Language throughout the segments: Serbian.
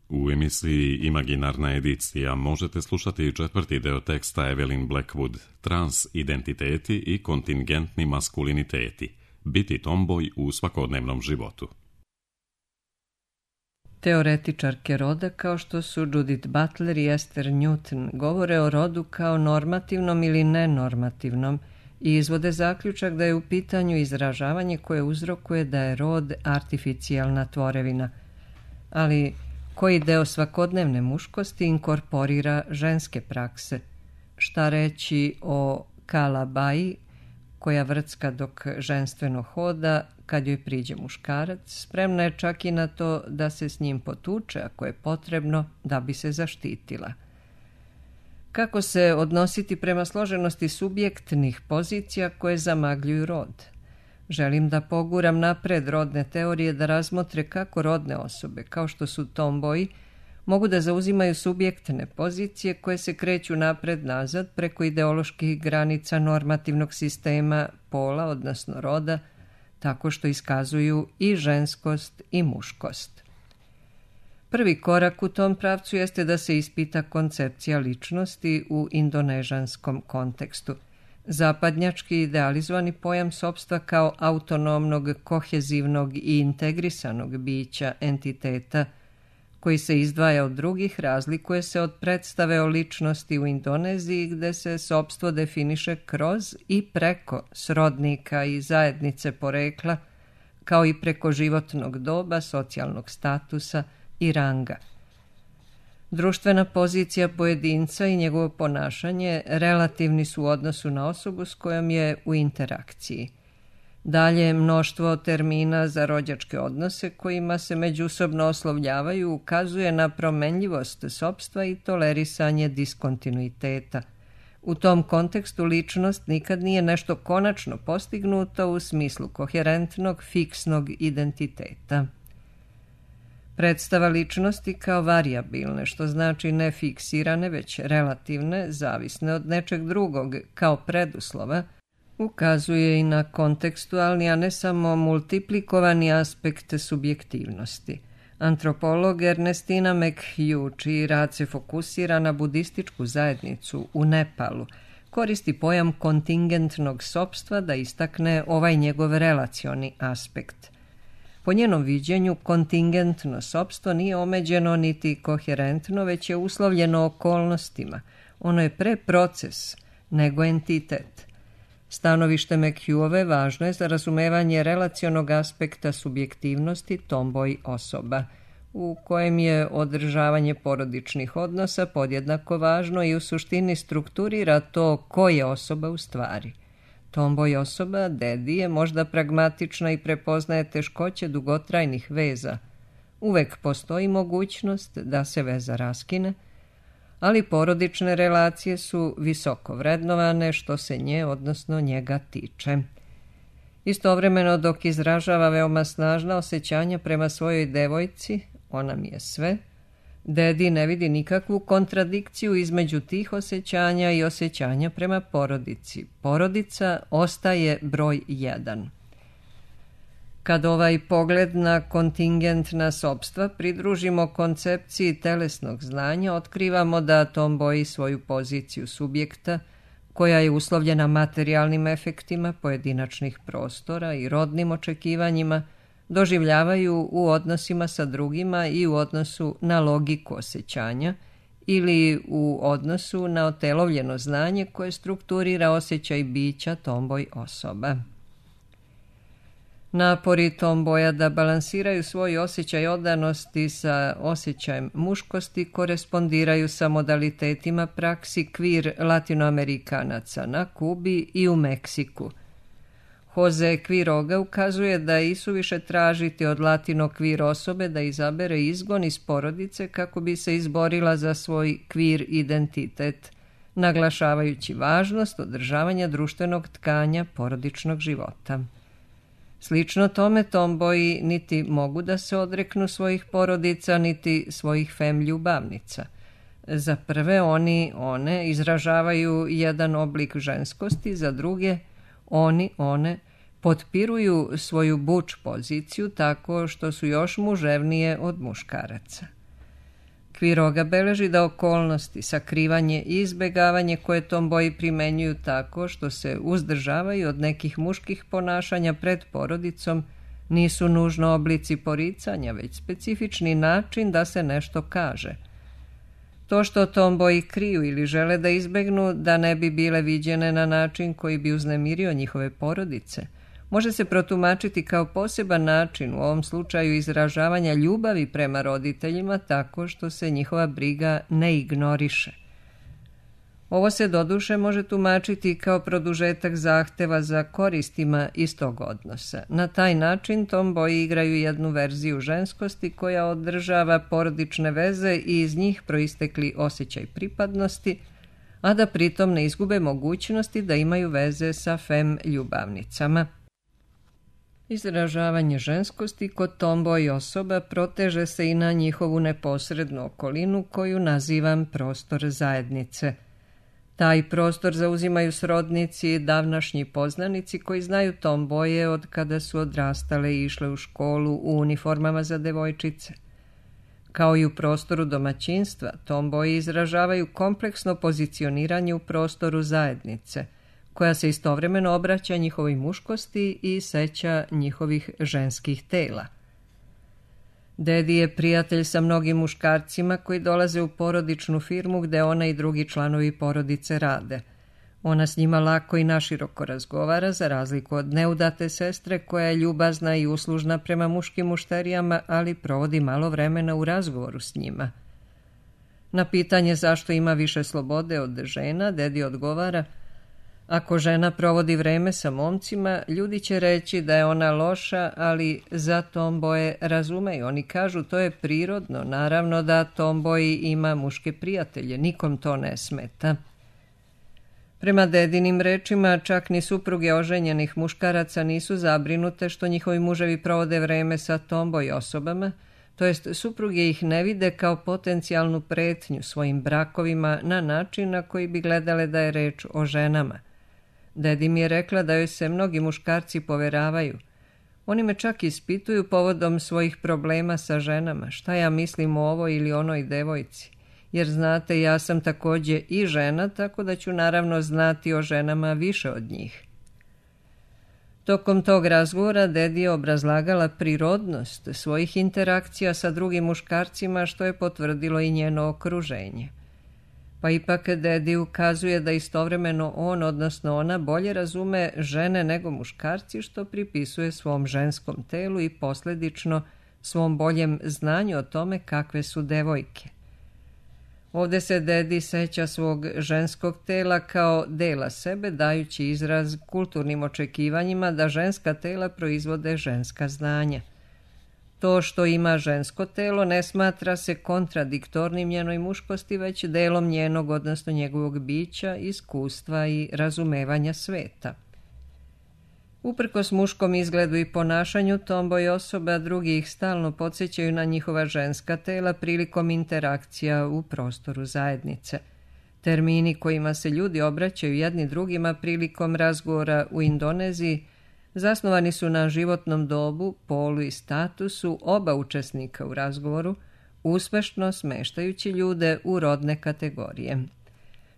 U emisiji Imaginarna edicija možete slušati četvrti deo teksta Evelyn Blackwood, Transidentiteti i kontingentni maskuliniteti, biti tomboj u svakodnevnom životu. Teoretičarke roda kao što su Judith Butler i Esther Newton govore o rodu kao normativnom ili nenormativnom i izvode zaključak da je u pitanju izražavanje koje uzrokuje da je rod artificijalna tvorevina, ali koji deo svakodnevne muškosti inkorporira ženske prakse. Šta reći o kalabaji koja vrcka dok ženstveno hoda, kad joj priđe muškarac, spremna je čak i na to da se s njim potuče ako je potrebno da bi se zaštitila. Kako se odnositi prema složenosti subjektnih pozicija koje zamagljuju rod? Želim da poguram napred rodne teorije da razmotre kako rodne osobe, kao što su tomboji, mogu da zauzimaju subjektne pozicije koje se kreću napred-nazad preko ideoloških granica normativnog sistema pola, odnosno roda, tako što iskazuju i ženskost i muškost. Prvi korak u tom pravcu jeste da se ispita koncepcija ličnosti u indonežanskom kontekstu. Zapadnjački idealizovani pojam sopstva kao autonomnog, kohezivnog i integrisanog bića, entiteta, koji se izdvaja od drugih, razlikuje se od predstave o ličnosti u Indoneziji gde se sopstvo definiše kroz i preko srodnika i zajednice porekla, kao i preko životnog doba, socijalnog statusa i ranga. Društvena pozicija pojedinca i njegovo ponašanje relativni su u odnosu na osobu s kojom je u interakciji. Dalje, mnoštvo termina za rođačke odnose kojima se međusobno oslovljavaju ukazuje na promenljivost sopstva i tolerisanje diskontinuiteta. U tom kontekstu ličnost nikad nije nešto konačno postignuto u smislu koherentnog, fiksnog identiteta. Predstava ličnosti kao varijabilne, što znači ne fiksirane, već relativne, zavisne od nečeg drugog, kao preduslova, ukazuje i na kontekstualni, a ne samo multiplikovani aspekt subjektivnosti. Antropolog Ernestina McHugh, čiji rad se fokusira na budističku zajednicu u Nepalu, koristi pojam kontingentnog sopstva da istakne ovaj njegov relacioni aspekt. Po njenom viđenju, kontingentno sopstvo nije omeđeno niti koherentno, već je uslovljeno okolnostima. Ono je pre proces nego entitet. Stanovište McHughove važno je za razumevanje relacionog aspekta subjektivnosti tomboj osoba, u kojem je održavanje porodičnih odnosa podjednako važno i u suštini strukturira to ko je osoba u stvari. Tomboj osoba, dedi, je možda pragmatična i prepoznaje teškoće dugotrajnih veza. Uvek postoji mogućnost da se veza raskine, ali porodične relacije su visoko vrednovane što se nje, odnosno njega, tiče. Istovremeno, dok izražava veoma snažna osjećanja prema svojoj devojci, ona mi je sve, dedi ne vidi nikakvu kontradikciju između tih osjećanja i osjećanja prema porodici. Porodica ostaje broj 1. Kad ovaj pogled na kontingentna sopstva pridružimo koncepciji telesnog znanja, otkrivamo da tomboji svoju poziciju subjekta, koja je uslovljena materijalnim efektima pojedinačnih prostora i rodnim očekivanjima, doživljavaju u odnosima sa drugima i u odnosu na logiku osjećanja ili u odnosu na otelovljeno znanje koje strukturira osjećaj bića tomboj osoba. Napori tomboja da balansiraju svoj osjećaj odanosti sa osjećajem muškosti korespondiraju sa modalitetima praksi kvir latinoamerikanaca na Kubi i u Meksiku. Jose Quiroga ukazuje da je isuviše tražiti od latino kvir osobe da izabere izgon iz porodice kako bi se izborila za svoj kvir identitet, naglašavajući važnost održavanja društvenog tkanja porodičnog života. Slično tome, tomboji niti mogu da se odreknu svojih porodica, niti svojih fem ljubavnica. Za prve one izražavaju jedan oblik ženskosti, za druge one potpiruju svoju buč poziciju tako što su još muževnije od muškaraca. Quiroga beleži da okolnosti, sakrivanje i izbegavanje koje tomboji primenjuju tako što se uzdržavaju od nekih muških ponašanja pred porodicom nisu nužno oblici poricanja, već specifični način da se nešto kaže. To što tomboji kriju ili žele da izbegnu da ne bi bile viđene na način koji bi uznemirio njihove porodice, može se protumačiti kao poseban način, u ovom slučaju izražavanja ljubavi prema roditeljima tako što se njihova briga ne ignoriše. Ovo se doduše može tumačiti kao produžetak zahteva za koristima iz tog odnosa. Na taj način tomboji igraju jednu verziju ženskosti koja održava porodične veze i iz njih proistekli osjećaj pripadnosti, a da pritom ne izgube mogućnosti da imaju veze sa fem ljubavnicama. Izražavanje ženskosti kod tomboji osoba proteže se i na njihovu neposrednu okolinu koju nazivam prostor zajednice. Taj prostor zauzimaju srodnici i davnašnji poznanici koji znaju tomboje od kada su odrastale i išle u školu u uniformama za devojčice. Kao i u prostoru domaćinstva, tomboji izražavaju kompleksno pozicioniranje u prostoru zajednice, koja se istovremeno obraća njihovoj muškosti i seća njihovih ženskih tela. Dedi je prijatelj sa mnogim muškarcima koji dolaze u porodičnu firmu gde ona i drugi članovi porodice rade. Ona s njima lako i naširoko razgovara, za razliku od neudate sestre koja je ljubazna i uslužna prema muškim mušterijama, ali provodi malo vremena u razgovoru s njima. Na pitanje zašto ima više slobode od žena, dedi odgovara: ako žena provodi vreme sa momcima, ljudi će reći da je ona loša, ali za tomboje razumeju. Oni kažu to je prirodno, naravno da tomboji ima muške prijatelje, nikom to ne smeta. Prema dedinim rečima, čak ni supruge oženjenih muškaraca nisu zabrinute što njihovi muževi provode vreme sa tomboj osobama, to jest supruge ih ne vide kao potencijalnu pretnju svojim brakovima na način na koji bi gledale da je reč o ženama. Dedi mi je rekla da joj se mnogi muškarci poveravaju. Oni me čak ispituju povodom svojih problema sa ženama, šta ja mislim o ovoj ili onoj devojci. Jer znate, ja sam također i žena, tako da ću naravno znati o ženama više od njih. Tokom tog razgovora dedi je obrazlagala prirodnost svojih interakcija sa drugim muškarcima, što je potvrdilo i njeno okruženje. Pa ipak dedi ukazuje da istovremeno on, odnosno ona, bolje razume žene nego muškarci, što pripisuje svom ženskom telu i posljedično svom boljem znanju o tome kakve su devojke. Ovdje se dedi seća svog ženskog tela kao dela sebe, dajući izraz kulturnim očekivanjima da ženska tela proizvode ženska znanja. To što ima žensko telo ne smatra se kontradiktornim njenoj muškosti, već delom njenog, odnosno njegovog bića, iskustva i razumevanja sveta. Uprkos muškom izgledu i ponašanju, tomboj osoba drugi ih stalno podsjećaju na njihova ženska tela prilikom interakcija u prostoru zajednice. Termini kojima se ljudi obraćaju jedni drugima prilikom razgovora u Indoneziji zasnovani su na životnom dobu, polu i statusu oba učesnika u razgovoru, uspešno smeštajući ljude u rodne kategorije.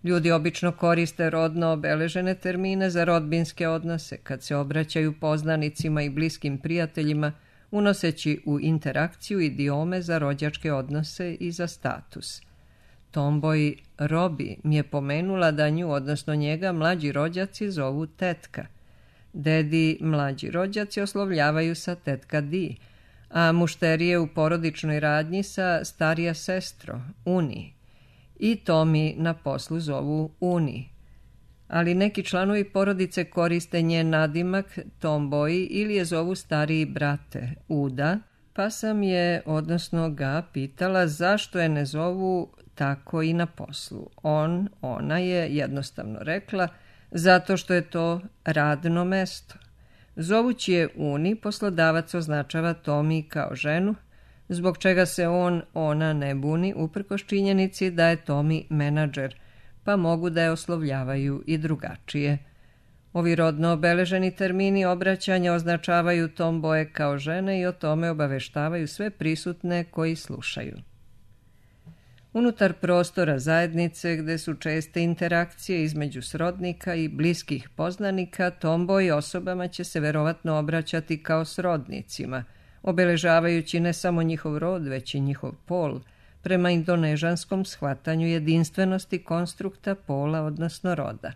Ljudi obično koriste rodno obeležene termine za rodbinske odnose kad se obraćaju poznanicima i bliskim prijateljima, unoseći u interakciju idiome za rođačke odnose i za status. Tomboj Robi mi je pomenula da nju, odnosno njega, mlađi rođaci zovu tetka. Dedi mlađi rođaci oslovljavaju sa tetka di, a mušterije u porodičnoj radnji sa starija sestro, uni. I Tomi na poslu zovu uni. Ali neki članovi porodice koriste njen nadimak tomboji ili je zovu stariji brate, uda, pa sam je, odnosno ga, pitala zašto je ne zovu tako i na poslu. Ona je jednostavno rekla zato što je to radno mesto. Zovući je uni, poslodavac označava Tomi kao ženu, zbog čega se ona ne buni uprkos činjenici da je Tomi menadžer, pa mogu da je oslovljavaju i drugačije. Ovi rodno obeleženi termini obraćanja označavaju tomboje kao žene i o tome obaveštavaju sve prisutne koji slušaju. Unutar prostora zajednice gde su česte interakcije između srodnika i bliskih poznanika, tomboy osobama će se verovatno obraćati kao srodnicima, obeležavajući ne samo njihov rod, već i njihov pol, prema indonežanskom shvatanju jedinstvenosti konstrukta pola, odnosno roda.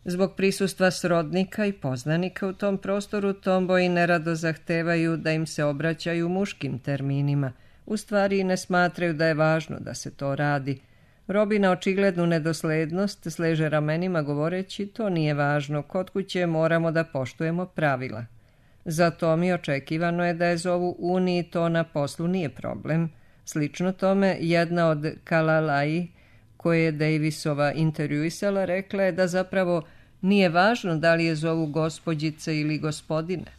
Zbog prisustva srodnika i poznanika u tom prostoru, tomboji nerado zahtevaju da im se obraćaju muškim terminima, u stvari ne smatraju da je važno da se to radi. Robi na očiglednu nedoslednost sleže ramenima govoreći to nije važno, kod kuće moramo da poštujemo pravila. Zato mi očekivano je da je zovu Uni i to na poslu nije problem. Slično tome, jedna od Kalalai, koje je Davisova intervjuisala, rekla je da zapravo nije važno da li je zovu gospođice ili gospodine.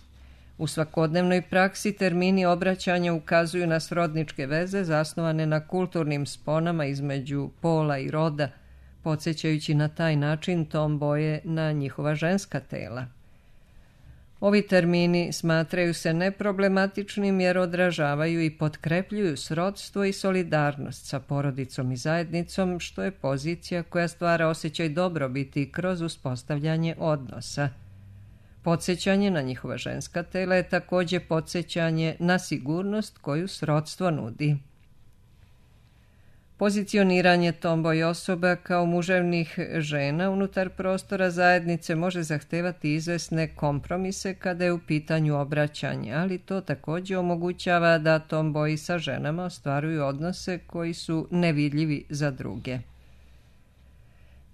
U svakodnevnoj praksi termini obraćanja ukazuju na srodničke veze zasnovane na kulturnim sponama između pola i roda, podsjećajući na taj način tomboje na njihova ženska tela. Ovi termini smatraju se neproblematičnim jer odražavaju i potkrepljuju srodstvo i solidarnost sa porodicom i zajednicom, što je pozicija koja stvara osjećaj dobrobiti kroz uspostavljanje odnosa. Podsjećanje na njihova ženska tela je također podsjećanje na sigurnost koju srodstvo nudi. Pozicioniranje tomboy osoba kao muževnih žena unutar prostora zajednice može zahtevati izvesne kompromise kada je u pitanju obraćanje, ali to također omogućava da tomboji sa ženama ostvaruju odnose koji su nevidljivi za druge.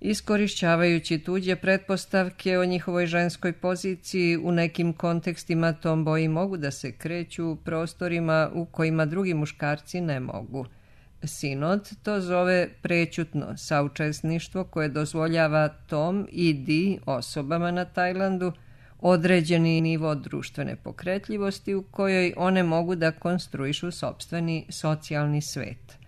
Iskorišćavajući tuđe pretpostavke o njihovoj ženskoj poziciji, u nekim kontekstima tomboji mogu da se kreću u prostorima u kojima drugi muškarci ne mogu. Sinod to zove prećutno saučesništvo koje dozvoljava tom i di osobama na Tajlandu određeni nivo društvene pokretljivosti u kojoj one mogu da konstruišu sopstveni socijalni svet.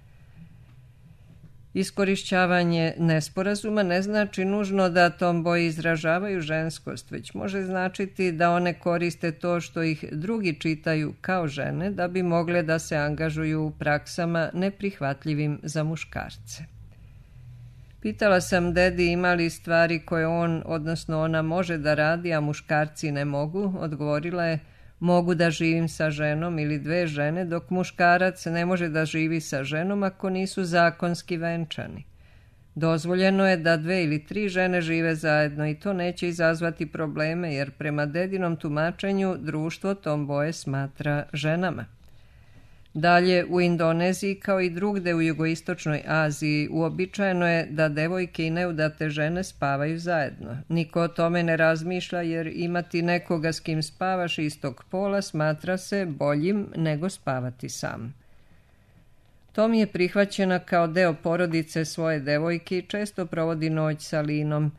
Iskorišćavanje nesporazuma ne znači nužno da tomboji izražavaju ženskost, već može značiti da one koriste to što ih drugi čitaju kao žene da bi mogle da se angažuju u praksama neprihvatljivim za muškarce. Pitala sam dedi ima li stvari koje on, odnosno ona, može da radi, a muškarci ne mogu. Odgovorila je, mogu da živim sa ženom ili dve žene, dok muškarac ne može da živi sa ženom ako nisu zakonski venčani. Dozvoljeno je da 2 ili 3 žene žive zajedno i to neće izazvati probleme, jer prema dedinom tumačenju društvo tomboje smatra ženama. Dalje, u Indoneziji kao i drugde u jugoistočnoj Aziji uobičajeno je da devojke i neudate žene spavaju zajedno. Niko o tome ne razmišlja jer imati nekoga s kim spavaš istog pola smatra se boljim nego spavati sam. Tom je prihvaćena kao deo porodice svoje devojke i često provodi noć sa Linom.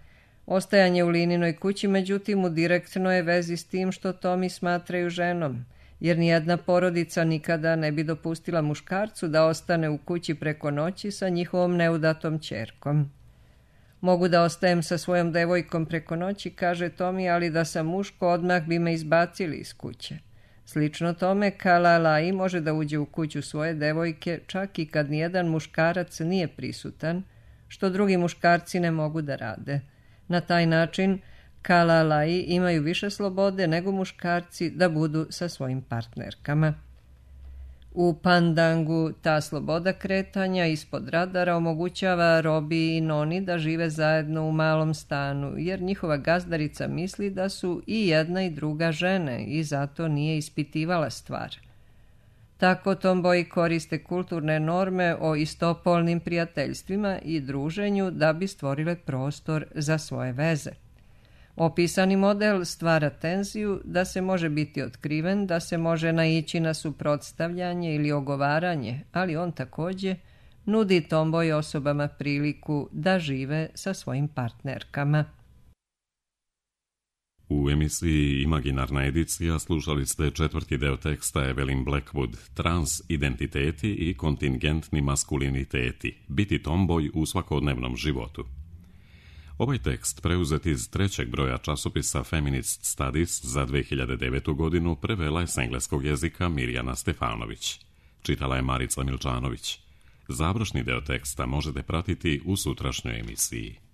Ostajanje u Lininoj kući, međutim, u direktnoj je vezi s tim što Tomi smatraju ženom, jer nijedna porodica nikada ne bi dopustila muškarcu da ostane u kući preko noći sa njihovom neudatom ćerkom. Mogu da ostajem sa svojom devojkom preko noći, kaže Tomi, ali da sam muško odmah bi me izbacili iz kuće. Slično tome, Kalalai može da uđe u kuću svoje devojke čak i kad nijedan muškarac nije prisutan, što drugi muškarci ne mogu da rade. Na taj način Kalalai imaju više slobode nego muškarci da budu sa svojim partnerkama. U Pandangu ta sloboda kretanja ispod radara omogućava Robi i Noni da žive zajedno u malom stanu, jer njihova gazdarica misli da su i jedna i druga žene i zato nije ispitivala stvar. Tako tomboji koriste kulturne norme o istopolnim prijateljstvima i druženju da bi stvorile prostor za svoje veze. Opisani model stvara tenziju da se može biti otkriven, da se može naići na suprotstavljanje ili ogovaranje, ali on također nudi tomboy osobama priliku da žive sa svojim partnerkama. U emisiji Imaginarna edicija slušali ste 4. deo teksta Evelyn Blackwood, Trans identiteti i kontingentni maskuliniteti, biti tomboy u svakodnevnom životu. Ovaj tekst, preuzet iz 3. broja časopisa Feminist Studies za 2009. godinu, prevela je s engleskog jezika Mirjana Stefanović. Čitala je Marica Milčanović. Završni deo teksta možete pratiti u sutrašnjoj emisiji.